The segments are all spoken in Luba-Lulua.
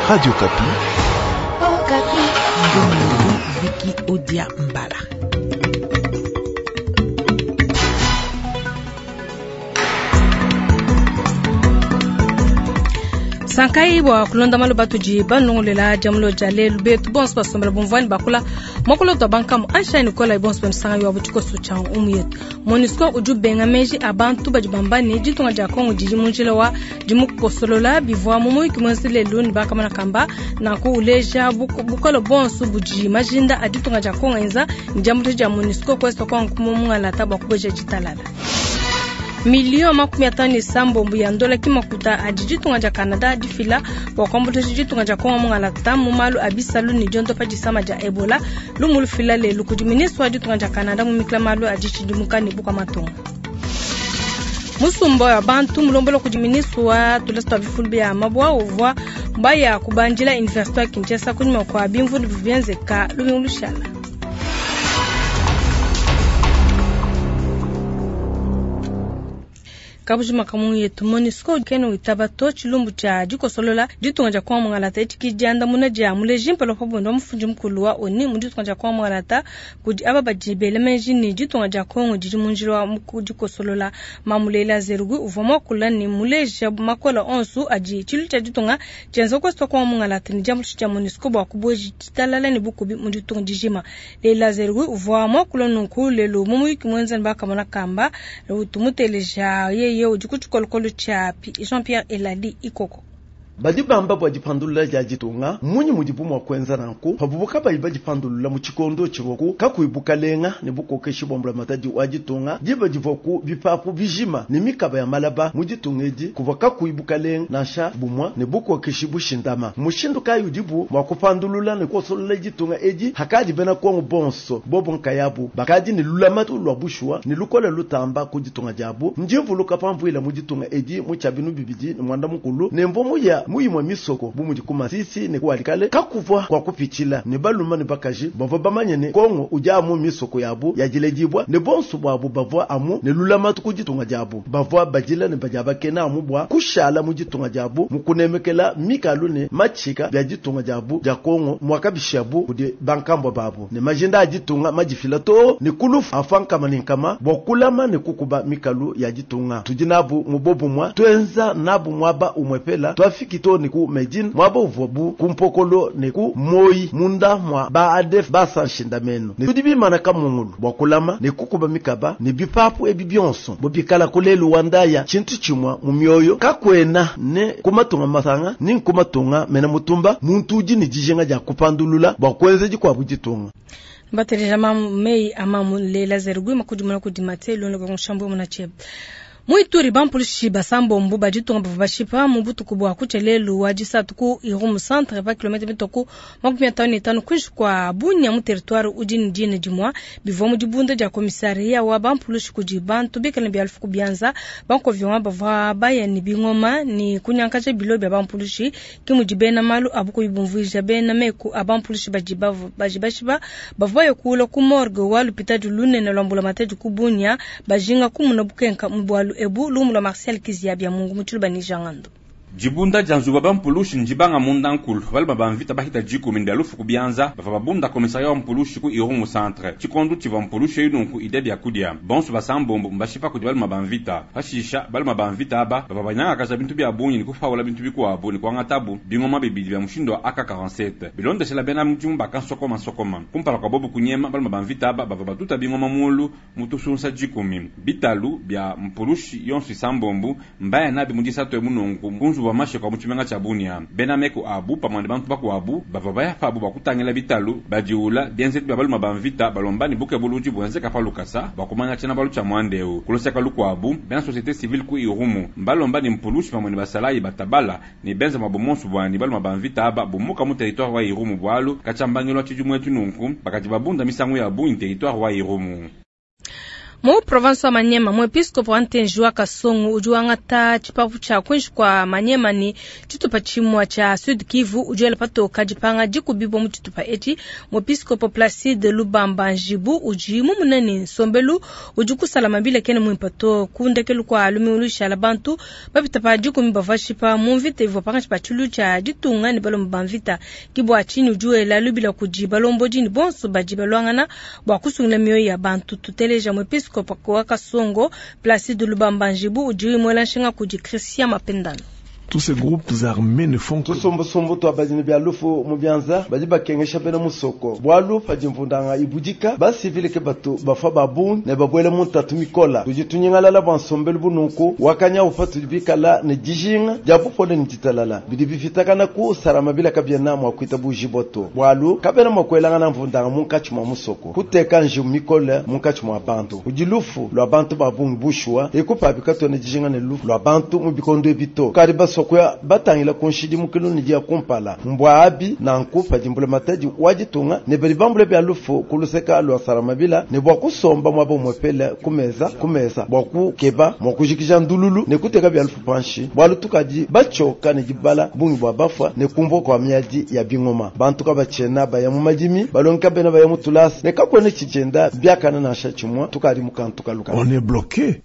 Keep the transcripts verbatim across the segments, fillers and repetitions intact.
Radio Okapi. Okapi. Vicky Odia Mbala. Sankai bua kulonda malu batudi banongolela jamulo ja lelu betu bonso basombela bumvuani bakula mwakulo twa bankamu ansha nikola bonso banisanga yo butiko cha umu yetu MONUSCO udi ubenga meji abantu badi bamba ne ditunga dia Kongo didi mu njila wa dimukosolola bivua mu muyuki muenze lelu ne bakamana kamba nanku uleja bukole bonso budi majinda a ditunga dia Kongo enza ne diambuluisha dia MONUSCO kwesta kwangu kumumungala bua kubeja ditalala. Milio makumi atano ne sambombo ya ndola kimakuta adi ditunga dia Canada difila bua kuambuluisha ditunga dia Kongo mungalata mu malu a bisalu ne diondopa disama dia Ebola lumu lufila lelu kudi ministre wa ditunga dia Canada mu mikila malu a ditshidimuka ne bukua matunga. Musumba wa bantu mulombola kudi ministre wa tulasa twa bifulu bia mabwa uvua baya kubandila université ya Kinshasa kunyuma kwa bimvundu bivyenzeka lumingu lushala. Kabujima kamungu yetu MONUSCO keno witaba to chilumbu cha dikosolola ditunga dia Kongo mungalata etiki diandamuna dia muleji mpala pa bwendo mufundi mukulu wa ONU mu ditunga dia Kongo mungalata kudi aba badi bela meji ne ditunga dia Kongo didi mu njila wa dikosolola. Mamulela Zerugui uvua muakula ne muleja makola onso adi tshilu tshia ditunga tshienza kwesta Kongo mungalata ne diambuluisha dia MONUSCO bua kubueja ditalala ne bukubi mu ditunga dijima. Leila Zerugui uvua muakula nunku lelu mu muyuki muenza ne bakamona kamba utumuteleja yeye udi ku tshikolokolo tshia Jean-Pierre Elali Ikoko. Badi bamba bua dipandulula dia ditunga munyi mudibu mua kuenza nanku pabubu kabayi badipandulula mu tshikondo tshivuaku kakuyi bukalenga ne bukokeshi bua mbulamatadi wa ditunga diba divuaku bipapu bijima ne mikaba ya malaba mu ditunga edi kuvua kakuyi bukalenga nansha bumua ne bukokeshi bushindama. Mushindu kayi udibu mua kupandulula ne kosolola ditunga edi hakadi bena Kongo bonso bobo nkayabu bakadi ne lulamatu lua bushuwa ne lukole lutamba ku ditunga diabu ndivuluka pamvuila mu ditunga edi mu tshiabinu bibidi ne mwanda mukulu ne mvomu ya muyimwe misoko bumudi ku Masisi ne kualikale kakuvwa kwa kupitshila ne baluma ne bakaji bavua bamanye ne Kongo udi amu misoko yabu yajiledibwa ne bonso bwabu bavua amu ne lulamatu ku ditunga diabu bavua badila ne badiabakena amu bwa kushala mu ditunga diabu mukunemekela mikalu ne machika bya ditunga diabu dia Kongo mwakabishabu kudi bankambwa babu ne majinda a ditunga majifila to ne kulufu afankama ne nkama bwa kulama ne kukuba mikalu ya ditunga tudi nabu mubobu mwa twenza nabu mwaba umwepela twafiki to ne ku Medine mwaba uvuabu ku mpokolo ne ku moyi munda mwa ba A D F basanshinda meno ne tudi bimana kamungulu bwa kulama ne kukuba mikaba ne bipapu ebi byonso bobikala kulelu wandaya tshintu tshimwa mu mioyo kakwena ne kumatunga masanga ni nkumatunga mena mutumba muntu udi ne dijinga dia kupandulula bwa kuenza dikwabu ditunga. Bateleja mei amamu Leila Zerugui makudimuna kudi Matelo ne nshambu munachebe. Muituri bampulushi basambombo baditunga bavua bashipa mu butuku bua kutshia lelu wa disatu ku Irumu centre pa kilomètre mitoku makumi atanu ne tanu kuinshi kua Bunia mu territoire udi ne dina dimua bivua mu dibunda dia komisaria wa bampulushi kudi bantu bikale bia lufu bianza bankoviwa bavua baya ne bingoma ne kunyankaja bilo bia bampulushi ke mudi bena malu abu kubumvuija bena meku a bampulushi badi badi bashipa bavua baya kula ku morgue wa lupitadi lunene lwa mbulamatadi ku Bunia bajinga kumuna bukenka mu bwalu ebu lumu lwa Marcel Kizia bya Mungu mutulu banijangando. Dibunda dia nzubu bampulushi njibanga munda nkulu balima bamvita bahita dikumi ndia lufu kubianza bava babunda komisaria wa mpulushi ku Irumu centre tshikondu tshivua mpulushi nunku ide bia kudia bonso basambombo mbashipa kudi balima bamvita pashisha balima bamvita aba bava banyangakaja bintu bia bungi ne kufaula bintu bikuabu ne kuangatabu bingoma bibidi bia mushindu wa A K quarante-sept bilondeshela bena mudimu bakansokoma sokoma kumpala kwa bobu kunyema balima bamvita aba bava batuta bingoma mulu mutusunsa dikumi bitalu bia mpulushi yonso isambombu mbaya nabi mudisatu emununku kunzu wa mashe kwa muchimenga cha Bunia bena meko abu pamwe bantu bakuabu bava baya pabu bakutangela bitalu badiula bienzetu bya baluma bamvita balomba ni buke buluji bwenze kapalukasa bakumanya chena balu cha mwandeu kuloseka lukwabu bena société civile ku Irumu mbalomba ni mpulushi pamwe ni basalayi batabala ni benza mabomonsu bwani baluma bamvita aba bumuka mu territoire wa Irumu bwalu kachambangelo chijumwe tununku bakati babunda misangu ya bu territoire wa Irumu. Mu province wa Maniema, muepiskopo wa Ntenji wa Kasongo udi wangata tshipapu tshia kuinshi kua Maniema ne tshitupa tshimue tshia Sud Kivu udi wela patoka dipanga dikubibua mu tshitupa etshi. Muepiskopo Placide Lubamba Njibu udi mumune ne nsombelu udi kusala mabila kene muimpe to ku ndekelu kua lumingu lushala bantu bapita pa dikumi bavua bashipa mu mvita ivua pankatshi pa tshilu tshia ditunga ne balomba ba mvita. Ke bua tshinyi udi wela lubila kudi balombodi ne bonso badi baluangana bua kusungila mioyo ya bantu. Tuteleja muepiskopo wa Kasongo Placide Lubamba Njibu udi muela nshinga kudi Christian Mapendano. Tous ces groupes armés ne font que Tusumbusumbu tua badi ne bia lufu mu bianza badi bakengesha bena musoko bwalu padi mvundanga ibudika basivile ke batu bafua ba bungi ne babuele mu ntatu mikola. Tudi tunyingalala bua nsombelu bununku wakanya ufa tudi bikala ne dijinga dia bupole ne ditalala bidi bifitakana ku salama bila kabiena mua kuitabujibua to bwalu kabena mua kuelangana mvundanga munkatshi mua musoko kuteka njiwu mikole munkatshi mua bantu kudi lufu lua bantu ba bungi bushuwa ekupabi katuena dijinga ne lufu lua bantu mu bikondo ebi to kadi basoko kuya batangila ku nshidimukilu ne dia kumpala mbwa abi nanku padi mbulamatadi wa ditunga ne badi bambula bia lufu ku luseka lua salamabila ne bua kusomba muaba umwepele ku meza ku meza bua kukeba mua kujikija ndululu ne kuteka bia lufu panshi bwalu tukadi batshioka ne dibala bungi bua bafua ne kumvua kua miadi ya bingoma bantu kabatshiena baya mu madimi balongi kabena baya mu tulasa ne kakuena tshitshienda biakana nansha tshimue tukadi mu kantu kaluka. On est bloqué.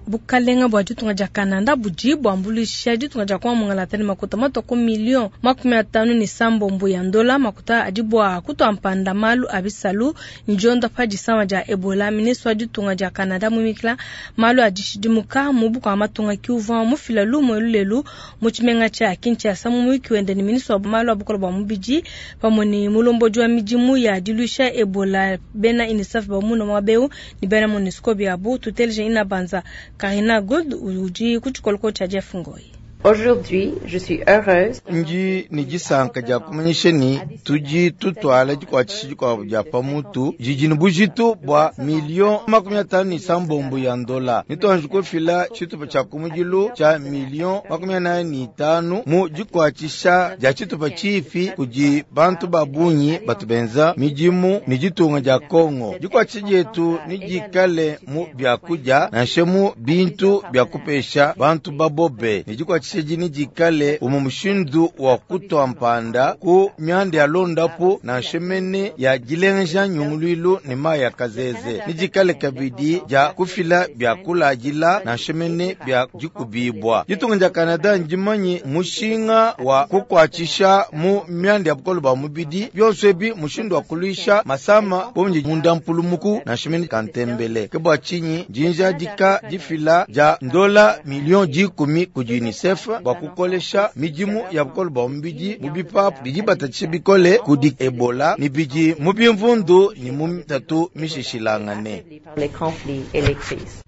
Bukalenga bua ditunga dia Kanada budi buambuluisha ditunga dia Kongo mungalata ne makuta matua ku million makumi atanu ne sambombo ya ndola makuta adi bua kutua mpanda malu a bisalu ndionda pa disama dia Ebola. Ministre wa ditunga dia Kanada mumikila malu a dishidimuka mu bukua matunga kiuvua mufila lumu elu lelu mu tshimenga tshia Kinshasa mu muyuki wende ne ministre wa malu a bukole bua mubidi pamue ne mulombodi wa midimu ya diluisha Ebola bena UNICEF bamuna muaba eu ne bena MONUSCO biabu. Tuteleje ina banza Karina Gold udi ku tshikoloko tshia Jeff Ngoi. Aujourd'hui, je suis heureuse. Nji ni disanka dia kumanyisha ni tudi tutwala dikuatshisha dikuabu dia pamutu didi ne bujitu bua million makumi atanu ne sambombo ya ndola. Nituanji kufila tshitupa tshia kumudilu tshia million makumi anayi ne itanu mu dikuatshisha dia tshitupa tshipi kudi bantu ba bungi batu benza midimu ne ditunga dia Kongo. Dikuatshisha dietu nidikale mu biakudia nansha mu bintu bia kupesha bantu babobe. Ne dikuatshisha dini dikale umu mushindu wa kutua mpanda ku mianda ya londapu nansha mene ya dilengeja nyunguluilu ne mayi ya kazeze. Nidikale kabidi dia kufila bia kuladila nansha mene bia dikubibwa. Ditunga dia Kanada ndimanye mushinga wa kukuatshisha mu mianda ya bukole bua mubidi byonso ebi mushindu wa kuluisha masama bonje munda mpulumuku nansha mene kantembele. Ke bua tshinyi jinja dika difila dia ndola million dikumi kudi UNICEF bua kukolesha midimu ya bukole bua mubidi mu bipapu bidi batatshisha bikole kudi Ebola ne bidi mu bimvundu ne mu mitatu mishishilangane. Les conflits et les crises.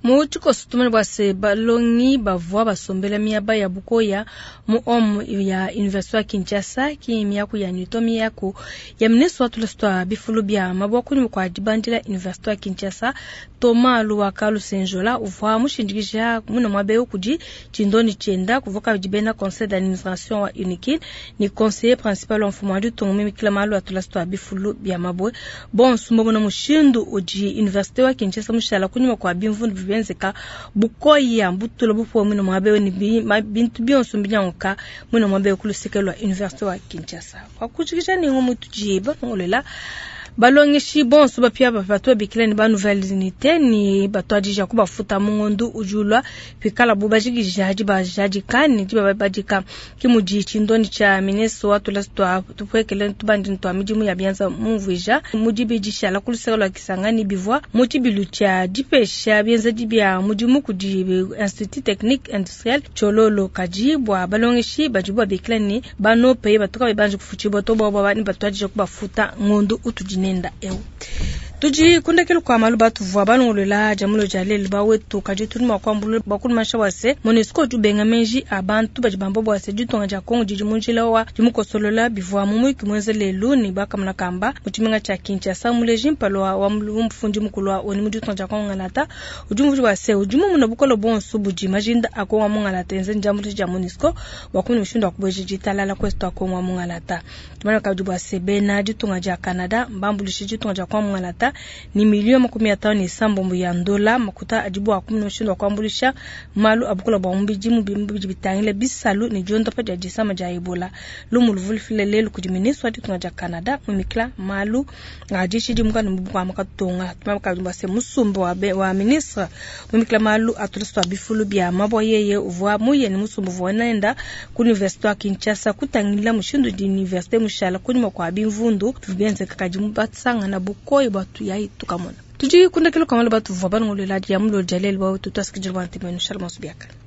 Mu tshikoso tumene bua se balongi bavua basombela miaba ya bukoya mu om ya Université ya Kinshasa ki miaku ya Newton miaku ya ministre wa tulasa tua bifulu bia mabua kunyuma kua dibandila Université ya Kinshasa Thomas Luhaka Lusenjola uvua mushindikija muna muaba eu kudi tshindoni tshienda kuvua kabidi bena conseil d'administration wa UNIKIN ni conseiller principal wa mfumu wa ditunga mimikila malu a tulasa tua bifulu bia mabue bonso mbomona mushindu udi Université wa Kinshasa mushala kunyuma kua bimvundu benzeka bukoya mbutula bupuwe mwina muaba eu ne bi-, ma-, bintu bionso mbinyanguka mwina muaba eu ku luseke lua Université wa Kinshasa. Kwa kujikija ni ngomu tujiba ngolela balongeshi bonso bapia bapatwa bikila ni ba nouvelle unité ni batwadija kubafuta mu ngondu ujulwa pikala bo bajikija hadi bajadika ni di babadika ki mudi tshindoni tsha ministre wa tulasa tua tupwekele tubandi ntwa midimu ya bianza mumvuija mudi bidishala ku luseke lua Kisangani bivua mu tshibilu tsha dipesha bienza dibia mudimu kudi Institut Technique Industriel Tshilolo kadi bua balongeshi badi babikila ni banope batuka bebanje kufutshiba to bo ba ni batwadija kubafuta ngondu utudi nenda eu. Tudi kundekelu kwa malu batuvua balongolola dia mulo dia lelu bawetu kadi tudi mua kuambulula bakulumansha bua se MONUSCO udi ubenga meji a bantu badi bamba bua se ditunga dia Kongo didi mu njila wa dimukosolola bivua mu muyuki muenza lelu ne bakamona kamba mu tshimenga tshia Kinshasa muleji mpala wa mufundi mukulu wa ONU mu ditunga dia Kongo ngalata udi umvuija bua se udi mumuna bukole bonso budi majinda a Kongo mu ngalata enza ndiambuluisha dia MONUSCO bua kumona mushindu wa kubueja ditalala kwetu a Kongo mu ngalata. Tumanya kabidi bua se bena ditunga dia Canada mbambuluishe ditunga dia Kongo mu ngalata ni milioni makumi atano ne isambombo ya ndola makuta adi bua kumona mushindu wa kuambuluisha malu a bukole bua mubidi mu bidi bitangila bisalu ne diondopa dia disama dia Ebola. Lumu luvulufile lelu kudi ministre wa ditunga dia Canada mumikila malu a dishidimuka ne bukua makatonga. Tumanya kabidi bua se musumba wa be, wa ministre mumikila malu a tulasa tua bifulu bia mabua yeye uvua muye ne musumba uvua nenda ku universite wa Kinshasa kutangila mushindu di universite mushala kunyima kua bimvundu bienzeka kadi batsangana bukoyi bua tuyayi tukamona. Tudi kundekelo kamala batuvua balongolola dia mulo dia lelu bua tutwasikidila bua ntemenu shalom biakana.